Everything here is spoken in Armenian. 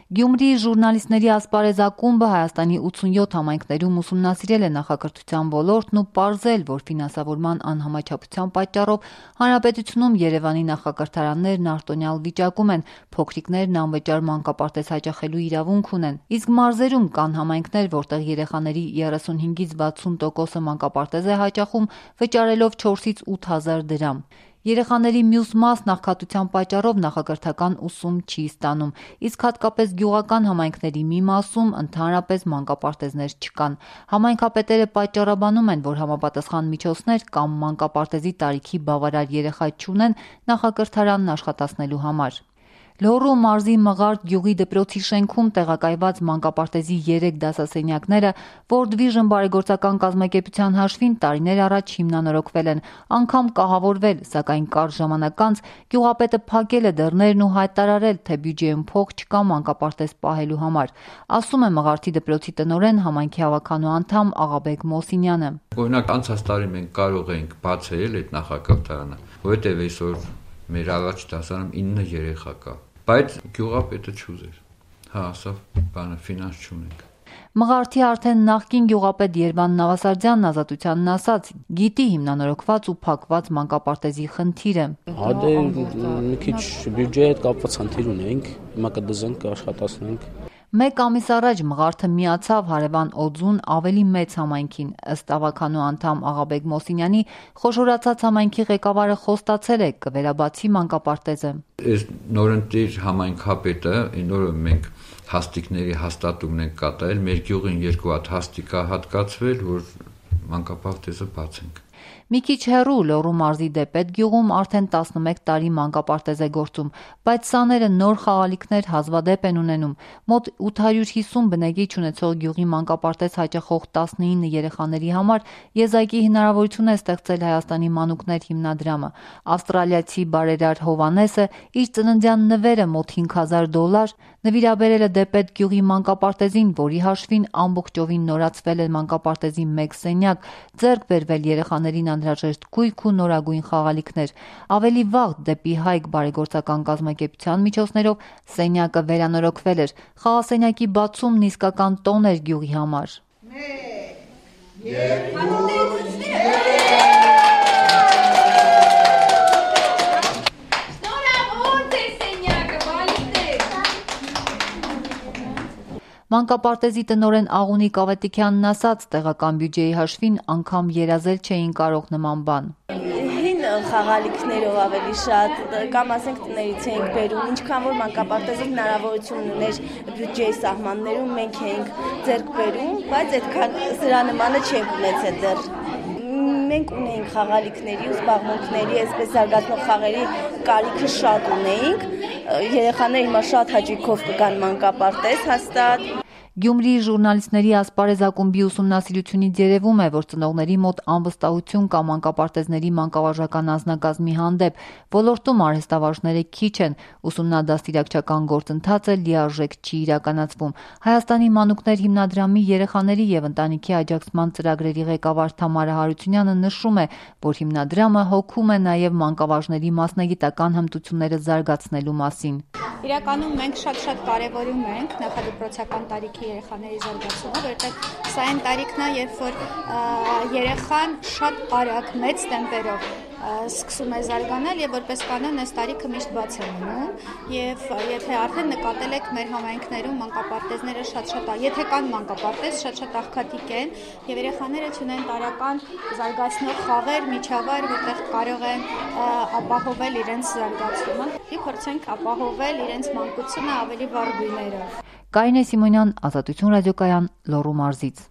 Գյումրիի ժուրնալիստների ասպարեզ ակումբը Հայաստանի 87 համայնքներում ուսումնասիրել է նախակրթության ոլորտն ու պարզել, որ ֆինանսավորման անհամաչափության պատճառով հանրապետությունում Երևանի նախակրթարաններն արտոնյալ վիճակում են, փոքրիկներն անվճար մանկապարտեզ հաճախելու իրավունք ունեն, իսկ մարզերում կան համայնքներ, որտեղ երեխաների 35-ից 60%-ը մանկապարտեզ է հաճախում, վճարելով 4-ից 8 հազար դրամ։ Երեխաների մյուս մասն աղքատության պատճառով նախակրթական ուսում չի ստանում, իսկ հատկապես գյուղական համայնքների մի մասում ընդհանրապես մանկապարտեզներ չկան։ Համայնքապետերը պատճառաբանում են, որ համապատասխան միջոցներ կամ մանկապարտեզի տարիքի բավարար երեխա չունեն նախակրթարանն աշխատացնելու համար։ Լոռու մարզի Մղարդ գյուղի դպրոցի շենքում տեղակայված մանկապարտեզի 3 դասասենյակները World Vision բարեգործական կազմակերպության հաշվին տարիներ առաջ հիմնանորոգվել են, անգամ կահավորվել, սակայն կարճ ժամանակ անց գյուղապետը փակել է դռներն ու հայտարարել, թե բյուջեում փող չկա մանկապարտեզ պահելու համար, ասում է Մղարդի դպրոցի տնօրեն, համայնքի հավաքանու անդամ Աղաբեկ Մոսինյանը։ Օրինակ անցած տարի մենք կարող էինք բացել այդ նախակրթարանը, որովհետև այսօր մեր առաջ դասարանում 9 երեխա կա, բայց գյուղապետը չուզեր, ասավ ֆինանս չունենք։ Մղարդի արդեն նախկին գյուղապետ Երվան Նավասարդյանն Ազատությանն ասաց, գիտի հիմնանորոգված ու փակված մանկապարտեզի խնդիրը։ Մի քիչ բյուջեի հետ կապված խնդիր ունենք, հիմա կդզենք, կաշխատացնենք։ Մեկ ամիս առաջ Մղարդը միացավ հարևան Օձուն ավելի մեծ համայնքին, ըստ ավականու անդամ Աղաբեկ Մոսինյանի, խոշորացած համայնքի ղեկավարը խոստացել է կվերաբացի մանկապարտեզը։ Այս նորընտիր համայնքապետը, նորը մենք հաստիկների հաստատումն ենք կատարել, մեր գյուղին 2 հատ հաստիկ է հատկացվել, որ մանկապարտեզը բացենք։ Մի քիչ հեռու Լոռու մարզի Դեպետ գյուղում արդեն 11 տարի մանկապարտեզ է գործում, բայց սաները նոր խաղալիքներ հազվադեպ են ունենում։ Մոտ 850 բնեգիչ ունեցող գյուղի մանկապարտեզ հաճախող 19 երեխաների համար եզակի հնարավորություն է ստեղծել Հայաստանի մանուկներ հիմնադրամը։ Ավստրալիացի բարերար Հովանեսը իր ծննդյան նվերը մոտ $5,000 նվիրաբերել է Դեպետ գյուղի մանկապարտեզին, որի հաշվին ամբողջովին նորացվել է մանկապարտեզի 1 սենյակ, ձեռք բերվել երեխաներին անհրաժեշտ գույք ու նորագույն խաղալիքներ։ Ավելի վաղ դեպի Հայք բարեգործական կազմակերպության միջոցներով սենյակը վերանորոգվել էր։ Խաղասենյակի բացումն իսկական տոն էր գյուղի համար։ Մանկապարտեզի տնօրեն Աղունիկ Ավետիքյանն ասաց, տեղական բյուջեի հաշվին անգամ երազել չէին կարող նման բան։ Հին խաղալիքներով ավելի շատ, կամ ասենք տներից էինք բերում, ինչքան որ մանկապարտեզը հնարավորություն ուներ բյուջեի սահմաններում, մենք էինք ձեռք բերում, բայց այդքան սրա նմանը չենք ունեցել դեռ։ Մենք ունեինք խաղալիքների ու զբաղմունքների, այսպես զարգացնող խաղերի կարիքը շատ ունեինք, երեխաները հիմա շատ հաճույքով կգան մանկապարտեզ հաստատ։ Գյումրիի ժուրնալիստների ասպարեզ ակումբի ուսումնասիրությունից երևում է, որ ծնողների մոտ անվստահություն կա մանկապարտեզների մանկավարժական անձնակազմի հանդեպ, ոլորտում արհեստավարժները քիչ են, ուսումնադաստիարակչական գործընթացը լիարժեք չի իրականացվում։ Հայաստանի մանուկներ հիմնադրամի երեխաների եւ ընտանիքի աջակցման ծրագրերի ղեկավար Թամարա Հարությունյանը նշում է, որ հիմնադրամը հոգում է նաեւ մանկավարժների մասնագիտական հմտությունները զարգացնելու մասին։ Իրականում մենք շատ կարևորում ենք նախադպրոցական տարիքի երեխաների զարգացումը, որովհետև սա այն տարիքն է, երբ որ երեխան շատ արագ մեծ տեմպերով սկսում է զարգանալ եւ որպես կանոն այս տարիքը միշտ բաց է մնում եւ եթե արդեն նկատել եք մեր համայնքներում մանկապարտեզները շատ եթե կան մանկապարտեզ շատ աղքատիկ են եւ երեխաները ունեն տարական զարգացնող խաղեր, միջավայր, որտեղ կարող են ապահովել իրենց զարգացումը եւ փորձենք ապահովել իրենց մանկությունը ավելի վառ գույներով։ Կարինե Սիմոնյան, Ազատություն ռադիոկայան, Լոռու մարզից։